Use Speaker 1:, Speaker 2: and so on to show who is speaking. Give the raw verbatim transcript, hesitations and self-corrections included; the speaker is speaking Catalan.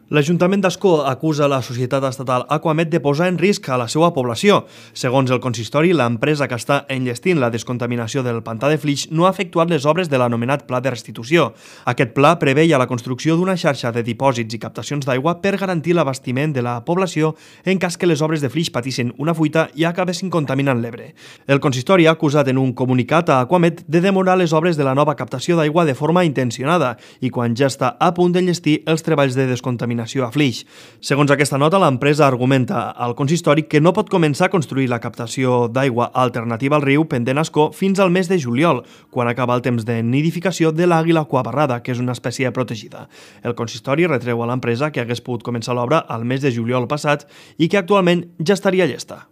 Speaker 1: L'Ajuntament d'Ascó acusa la societat estatal Aquamed de posar en risc a la seva població. Segons el consistori, l'empresa que està enllestint la descontaminació del pantà de Flix no ha efectuat les obres de l'anomenat Pla de Restitució. Aquest pla preveia la construcció d'una xarxa de dipòsits i captacions d'aigua per garantir l'abastiment de la població en cas que les obres de Flix patissin una fuita i acabessin contaminant l'Ebre. El consistori ha acusat en un comunicat a Aquamed de demorar les obres de la nova captació d'aigua de forma intencionada i quan ja està a punt d'enllestir els treballs de descontaminació a Flix. Segons aquesta nota, l'empresa argumenta al consistori que no pot començar a construir la captació d'aigua alternativa al riu pendent Ascó fins al mes de juliol, quan acaba el temps de nidificació de l'àguila aquabarrada, que és una espècie protegida. El consistori retreu a l'empresa que hagués pogut començar l'obra al mes de juliol passat i que actualment ja estaria llesta.